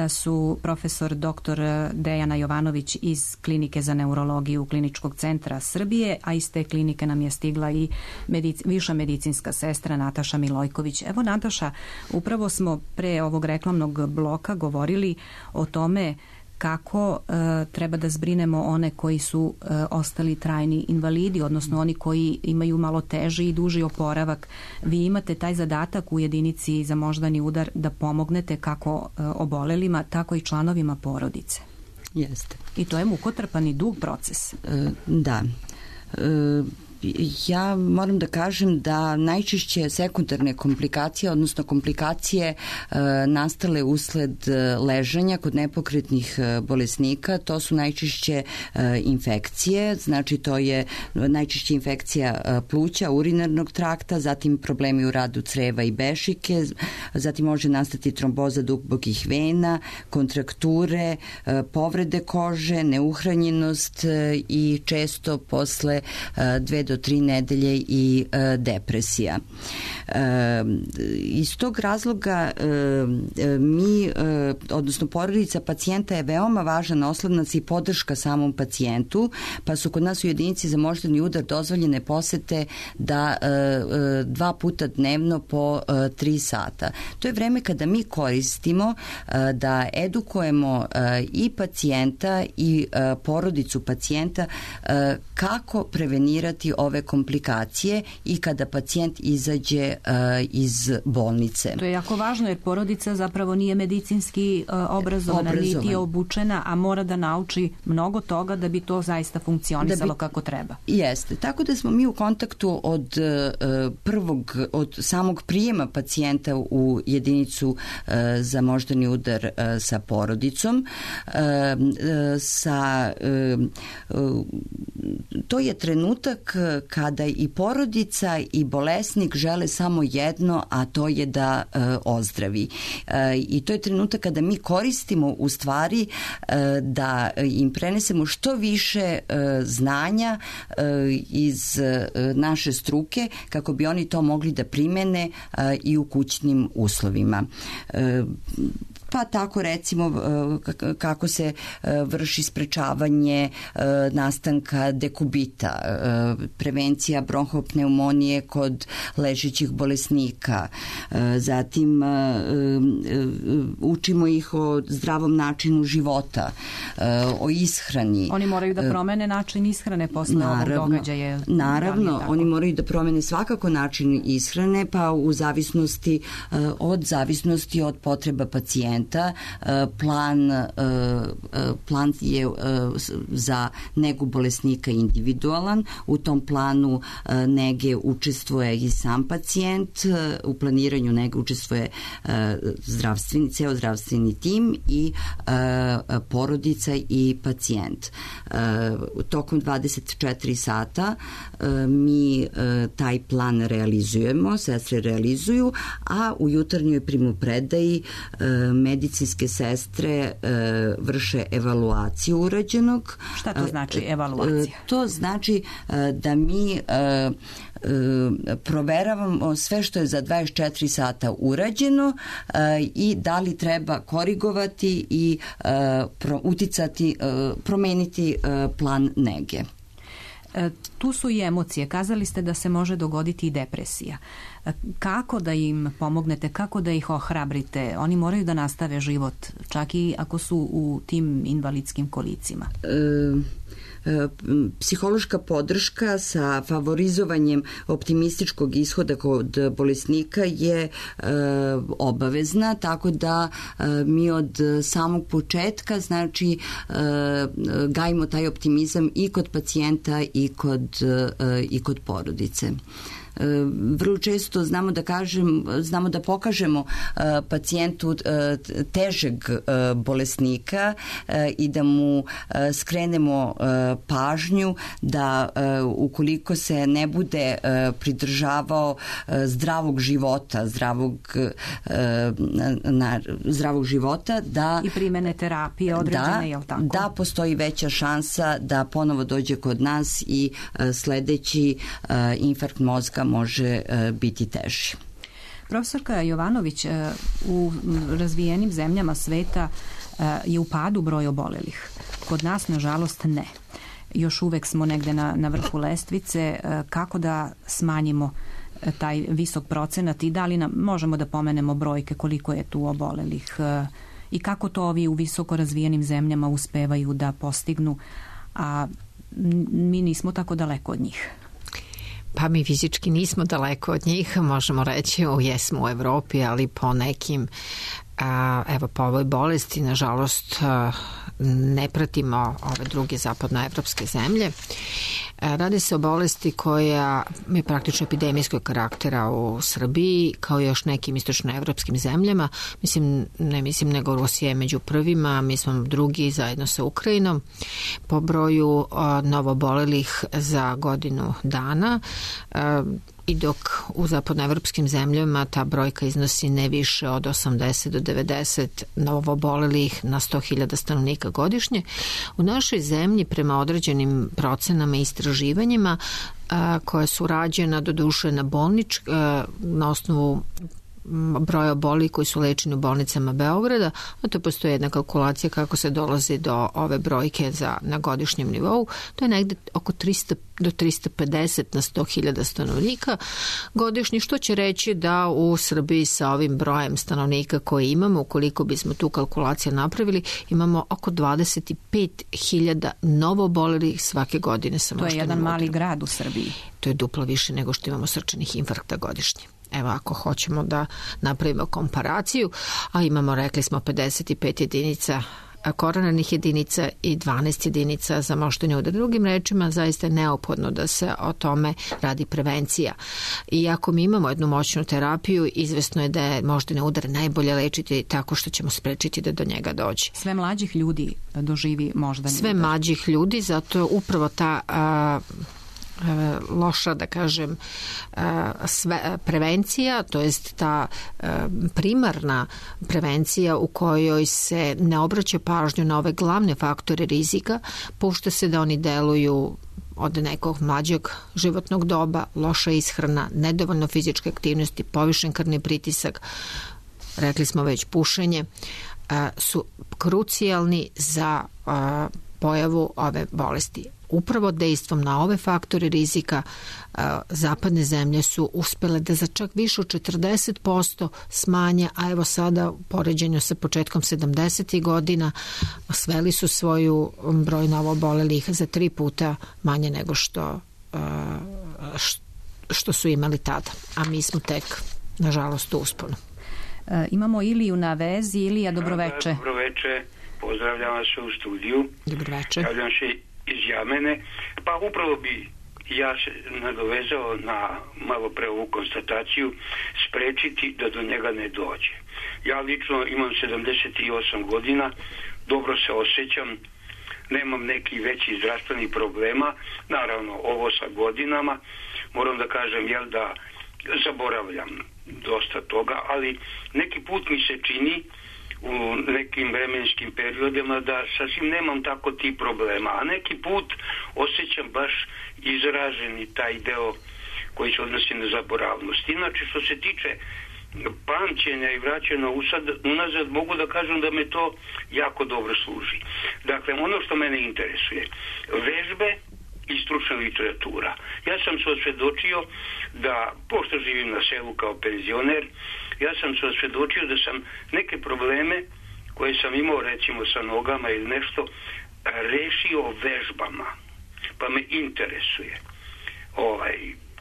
S4: su profesor doktor Dejana Jovanović iz Klinike za neurologiju Kliničkog centra Srbije, a iz te klinike nam je stigla i medic, viša medicinska sestra Nataša Milojković. Evo Nataša, upravo smo pre ovog reklamnog bloka govorili o tome kako e, treba da zbrinemo one koji su e, ostali trajni invalidi, odnosno oni koji imaju malo teži i duži oporavak. Vi imate taj zadatak u jedinici za moždani udar da pomognete kako e, obolelima, tako i članovima porodice.
S5: Jeste.
S4: I to je mukotrpan i dug proces.
S5: E, da. E, Ja moram da kažem da najčešće sekundarne komplikacije, odnosno komplikacije e, nastale usled ležanja kod nepokretnih bolesnika, to su najčešće e, infekcije, znači to je najčešće infekcija e, pluća, urinarnog trakta, zatim problemi u radu creva i bešike, zatim može nastati tromboza dubokih vena, kontrakture, e, povrede kože, neuhranjenost e, i često posle e, dve do do tri nedelje i e, depresija. E, iz tog razloga e, mi, e, odnosno porodica pacijenta je veoma važan oslonac i podrška samom pacijentu, pa su kod nas u jedinici za moždani udar dozvoljene posete da e, e, dva puta dnevno po e, tri sata. To je vreme kada mi koristimo e, da edukujemo e, i pacijenta i e, porodicu pacijenta e, kako prevenirati ove komplikacije i kada pacijent izađe iz bolnice.
S4: To je jako važno jer porodica zapravo nije medicinski obrazovana,
S5: Obrazovan.
S4: niti je obučena, a mora da nauči mnogo toga da bi to zaista funkcionisalo bi, kako treba.
S5: Jeste. Tako da smo mi u kontaktu od prvog, od samog prijema pacijenta u jedinicu za moždani udar sa porodicom. Sa, to je trenutak kada i porodica i bolesnik žele samo jedno, a to je da e, ozdravi. E, I to je trenutak kada mi koristimo u stvari e, da im prenesemo što više e, znanja e, iz e, naše struke kako bi oni to mogli da primene e, i u kućnim uslovima. E, pa tako recimo kako se vrši sprečavanje nastanka dekubita, prevencija bronhopneumonije kod ležećih bolesnika, zatim učimo ih o zdravom načinu života, o ishrani.
S4: Oni moraju da promene način ishrane posle naravno, ovog događaja.
S5: Naravno, oni moraju da promene svakako način ishrane, pa u zavisnosti od zavisnosti od potreba pacijenta. Plan, plan je za negu bolesnika individualan. U tom planu nege učestvuje i sam pacijent. U planiranju nege učestvuje zdravstveni, ceo zdravstveni tim i porodica i pacijent. Tokom dvadeset četiri sata mi taj plan realizujemo, sestre realizuju, a u jutarnjoj primopredaji medicinske sestre e, vrše evaluaciju urađenog.
S4: Šta to znači evaluacija?
S5: E, to znači e, da mi e, e, proveravamo sve što je za dvadeset četiri sata urađeno e, i da li treba korigovati i e, pro, uticati, e, promeniti e, plan nege.
S4: E, tu su i emocije. Kazali ste da se može dogoditi i depresija. Kako da im pomognete, kako da ih ohrabrite? Oni moraju da nastave život, čak i ako su u tim invalidskim kolicima.
S5: E, psihološka podrška sa favorizovanjem optimističkog ishoda kod bolesnika je e, obavezna, tako da e, mi od samog početka znači e, gajimo taj optimizam i kod pacijenta i kod, e, i kod porodice. Vrlo često znamo da kažem, znamo da pokažemo uh, pacijentu uh, težeg uh, bolesnika uh, i da mu uh, skrenemo uh, pažnju da uh, ukoliko se ne bude uh, pridržavao uh, zdravog života, zdravog uh, na, zdravog života da
S4: i primene terapije određene,
S5: da,
S4: je li tako?
S5: Da postoji veća šansa da ponovo dođe kod nas i uh, sledeći uh, infarkt mozga može biti teži.
S4: Profesorka Jovanović, u razvijenim zemljama sveta je u padu broj obolelih. Kod nas, nažalost, ne. Još uvek smo negde na, na vrhu lestvice. Kako da smanjimo taj visok procenat i da li nam, možemo da pomenemo brojke koliko je tu obolelih i kako to ovi u visoko razvijenim zemljama uspevaju da postignu, a mi nismo tako daleko od njih.
S3: Pa mi fizički nismo daleko od njih, možemo reći, o, jesmo u Evropi, ali po nekim, a, evo po ovoj bolesti, nažalost, a, ne pratimo ove druge zapadnoevropske zemlje. A, radi se o bolesti koja je praktično epidemijskog karaktera u Srbiji, kao i još nekim istočnoevropskim zemljama. Mislim, ne mislim nego Rusija je među prvima, mi smo drugi zajedno sa Ukrajinom po broju a, novobolelih za godinu dana. A, I dok u zapadnoevropskim zemljama ta brojka iznosi ne više od osamdeset do devedeset novobolelih na sto hiljada stanovnika godišnje, u našoj zemlji prema određenim procenama i istraživanjima koja su rađena do duše na bolnič, na osnovu broja obolelih koji su lečeni u bolnicama Beograda, a to postoji jedna kalkulacija kako se dolazi do ove brojke za, na godišnjem nivou. To je negde oko tristo do tristo pedeset na sto hiljada stanovnika godišnje, što će reći da u Srbiji sa ovim brojem stanovnika koji imamo, ukoliko bismo tu kalkulaciju napravili, imamo oko dvadeset pet hiljada novo obolelih svake godine sa moždanim udarom.
S4: To je jedan mali grad u Srbiji.
S3: To je duplo više nego što imamo srčanih infarkta godišnje. Evo, ako hoćemo da napravimo komparaciju, a imamo, rekli smo, pedeset pet jedinica koronarnih jedinica i dvanaest jedinica za moždani udar. Drugim rečima, zaista je neophodno da se o tome radi prevencija. I ako mi imamo jednu moćnu terapiju, izvesno je da je moždani udar najbolje lečiti tako što ćemo sprečiti da do njega dođe.
S4: Sve mlađih ljudi doživi moždani
S3: Sve
S4: udar.
S3: Sve mlađih ljudi, zato je upravo ta... A, loša, da kažem, sve, prevencija, to jest ta primarna prevencija u kojoj se ne obraća pažnju na ove glavne faktore rizika, pušta se da oni deluju od nekog mlađeg životnog doba, loša ishrana, nedovoljno fizičke aktivnosti, povišen krvni pritisak, rekli smo već pušenje, su krucijalni za pojavu ove bolesti. Upravo dejstvom na ove faktore rizika zapadne zemlje su uspele da za čak više od četrdeset posto smanje, a evo sada u poređenju sa početkom sedamdesetih godina sveli su svoju broj novoobolelih za tri puta manje nego što, što su imali tada. A mi smo tek, nažalost, u usponu.
S4: E, imamo Iliju na vezi. Ilija, dobroveče.
S20: Da, dobroveče. Pozdravljam vas u studiju.
S3: Dobroveče.
S20: Javljam se iz Jamene. Pa upravo bi ja se nadovezao na malo pre ovu konstataciju, sprečiti da do njega ne dođe. Ja lično imam sedamdeset osam godina, dobro se osjećam, nemam neki veći zdravstvenih problema, naravno ovo sa godinama, moram da kažem jel da zaboravljam dosta toga, ali neki put mi se čini u nekim vremenskim periodima da sasvim nemam tako ti problema, a neki put osjećam baš izraženi taj deo koji se odnosi na zaboravnost. Inače, što se tiče pamćenja i vraćanja unazad, mogu da kažem da me to jako dobro služi. Dakle, ono što mene interesuje, vežbe i stručna literatura. Ja sam se osvedočio da, pošto živim na selu kao penzioner, ja sam se osvedočio da sam neke probleme koje sam imao recimo sa nogama ili nešto rešio vežbama. Pa me interesuje ovaj,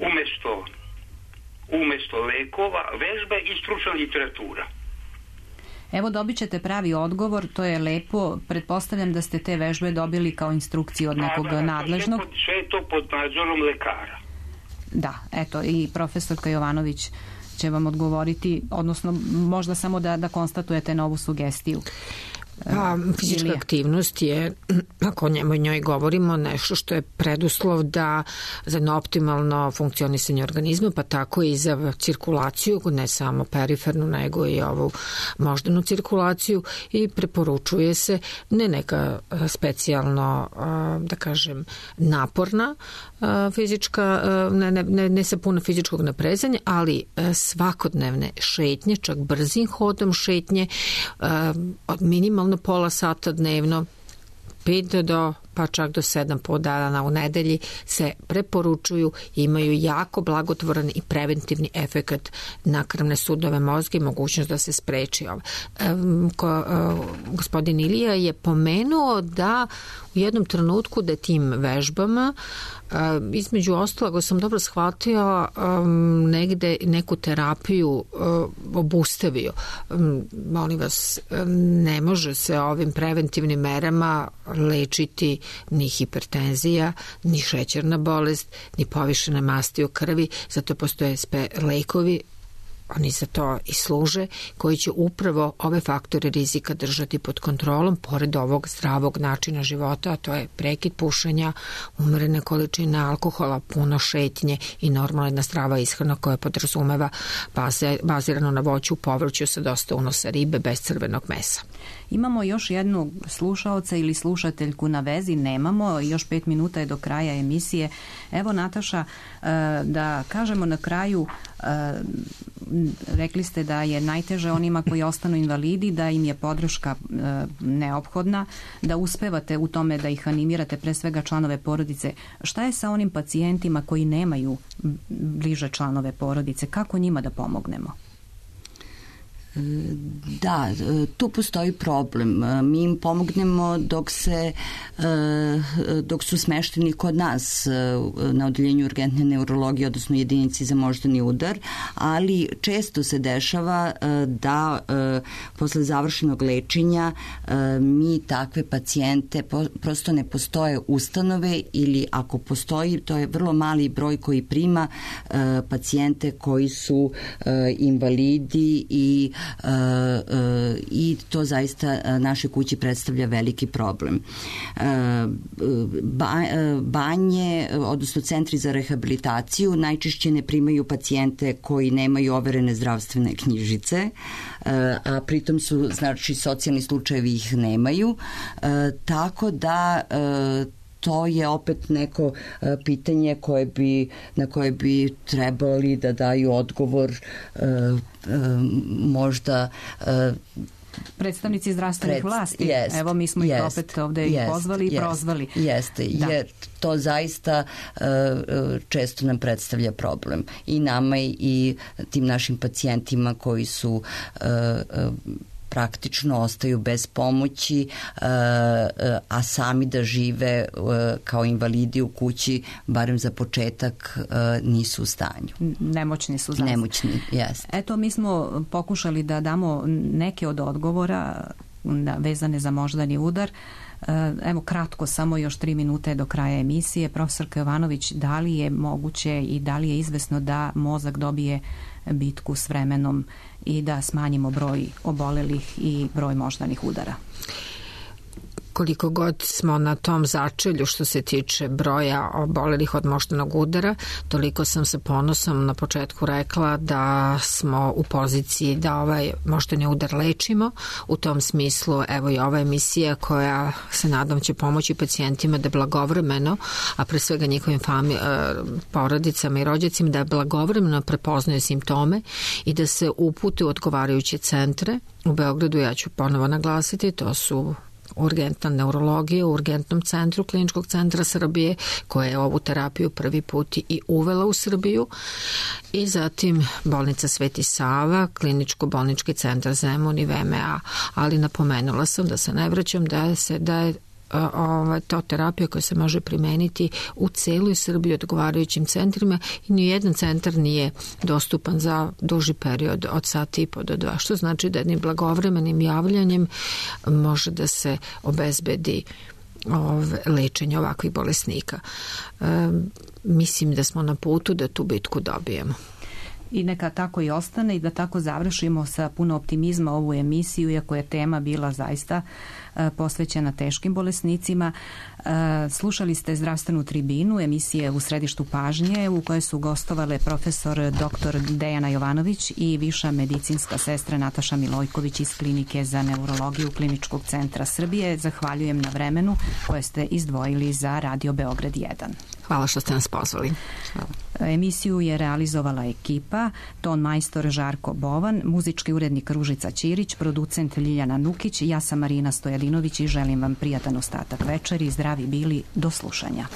S20: umesto, umesto lekova, vežbe i stručna literatura.
S4: Evo, dobit ćete pravi odgovor, to je lepo. Pretpostavljam da ste te vežbe dobili kao instrukciju od nekog
S20: da, da,
S4: nadležnog.
S20: Sve, pod, sve je to pod nadzorom lekara.
S4: Da, eto, i profesorka Jovanović će vam odgovoriti, odnosno možda samo da, da konstatujete novu sugestiju.
S3: Pa, fizička Ilija. Aktivnost je, ako o njemu njoj govorimo, nešto što je preduslov da za jedno optimalno funkcionisanje organizma, pa tako i za cirkulaciju, ne samo perifernu, nego i ovu moždanu cirkulaciju, i preporučuje se ne neka specijalno, da kažem, naporna fizička, ne, ne, ne sa puno fizičkog naprezanja, ali svakodnevne šetnje, čak brzim hodom šetnje, od minimalno pola sata dnevno, pet do pa čak do sedam po dana u nedelji se preporučuju, imaju jako blagotvoran i preventivni efekat na krvne sudove mozga i mogućnost da se spreči ovo. E, ko, e, gospodin Ilija je pomenuo da u jednom trenutku da tim vežbama e, između ostalog, sam dobro shvatio, e, negde neku terapiju e, obustavio. E, molim vas, ne može se ovim preventivnim merama lečiti ni hipertenzija, ni šećerna bolest, ni povišene masti u krvi, zato postoje spe lekovi oni za to i služe, koji će upravo ove faktore rizika držati pod kontrolom, pored ovog zdravog načina života, a to je prekid pušenja, umerene količine alkohola, puno šetnje i normalna jedna zdrava ishrana koja podrazumeva baze, bazirano na voću, povrću sa dosta unosa ribe, bez crvenog mesa.
S4: Imamo još jednu slušaoca ili slušateljku na vezi, nemamo, još pet minuta je do kraja emisije. Evo, Nataša, da kažemo na kraju, rekli ste da je najteže onima koji ostanu invalidi, da im je podrška neophodna, da uspevate u tome da ih animirate, pre svega članove porodice. Šta je sa onim pacijentima koji nemaju bliže članove porodice? Kako njima da pomognemo?
S5: Da, tu postoji problem. Mi im pomognemo dok se dok su smešteni kod nas na odeljenju urgentne neurologije, odnosno jedinici za moždani udar, ali često se dešava da posle završenog lečenja mi takve pacijente, prosto ne postoje ustanove, ili ako postoji, to je vrlo mali broj koji prima pacijente koji su invalidi i i to zaista našoj kući predstavlja veliki problem. Banje, odnosno centri za rehabilitaciju, najčešće ne primaju pacijente koji nemaju overene zdravstvene knjižice, a pritom su, znači, socijalni slučajevi ih nemaju, tako da to je opet neko pitanje koje bi, na koje bi trebali da daju odgovor možda
S4: predstavnici zdravstvenih Pred, vlasti.
S5: Jest,
S4: Evo, mi smo ih
S5: jest,
S4: opet ovde jest, i pozvali i prozvali.
S5: Jeste, da. Jer to zaista često nam predstavlja problem. I nama i tim našim pacijentima koji su praktično ostaju bez pomoći, a sami da žive kao invalidi u kući, barem za početak, nisu u stanju.
S4: Nemoćni su zaista.
S5: Nemoćni, jeste.
S4: Eto, mi smo pokušali da damo neke od odgovora vezane za moždani udar. Evo, kratko, samo još tri minute do kraja emisije. Profesorka Jovanović, da li je moguće i da li je izvesno da mozak dobije bitku s vremenom i da smanjimo broj obolelih i broj moždanih udara?
S3: Koliko god smo na tom začelju što se tiče broja obolelih od moždanog udara, toliko sam sa ponosom na početku rekla da smo u poziciji da ovaj moždani udar lečimo. U tom smislu, evo i ova emisija koja se nadam će pomoći pacijentima da blagovremeno, a pre svega njihovim fami, porodicama i rođacima, da blagovremeno prepoznaju simptome i da se upute u odgovarajuće centre. U Beogradu, ja ću ponovo naglasiti, to su urgentna neurologija u urgentnom centru Kliničkog centra Srbije, koja je ovu terapiju prvi put i uvela u Srbiju, i zatim bolnica Sveti Sava, kliničko-bolnički centar Zemun i V M A. Ali napomenula sam, da se ne vraćam, da se da je Ova, to terapija koja se može primeniti u celoj Srbiji odgovarajućim centrima i nijedan centar nije dostupan za duži period od sata i po do dva, što znači da jednim blagovremenim javljanjem može da se obezbedi ove, lečenje ovakvih bolesnika. E, mislim da smo na putu da tu bitku dobijemo.
S4: I neka tako i ostane i da tako završimo sa puno optimizma ovu emisiju, iako je tema bila zaista posvećena teškim bolesnicima. Slušali ste Zdravstvenu tribinu, emisije U središtu pažnje, u kojoj su gostovale profesor doktor Dejana Jovanović i viša medicinska sestra Nataša Milojković iz Klinike za neurologiju Kliničkog centra Srbije. Zahvaljujem na vremenu koje ste izdvojili za Radio Beograd jedan.
S3: Hvala što ste nas pozvali.
S4: Hvala. Emisiju je realizovala ekipa, ton majstor Žarko Bovan, muzički urednik Ružica Ćirić, producent Ljiljana Nukić, ja sam Marina Stojadinović i želim vam prijatan ostatak večeri. Zdravi bili, do slušanja.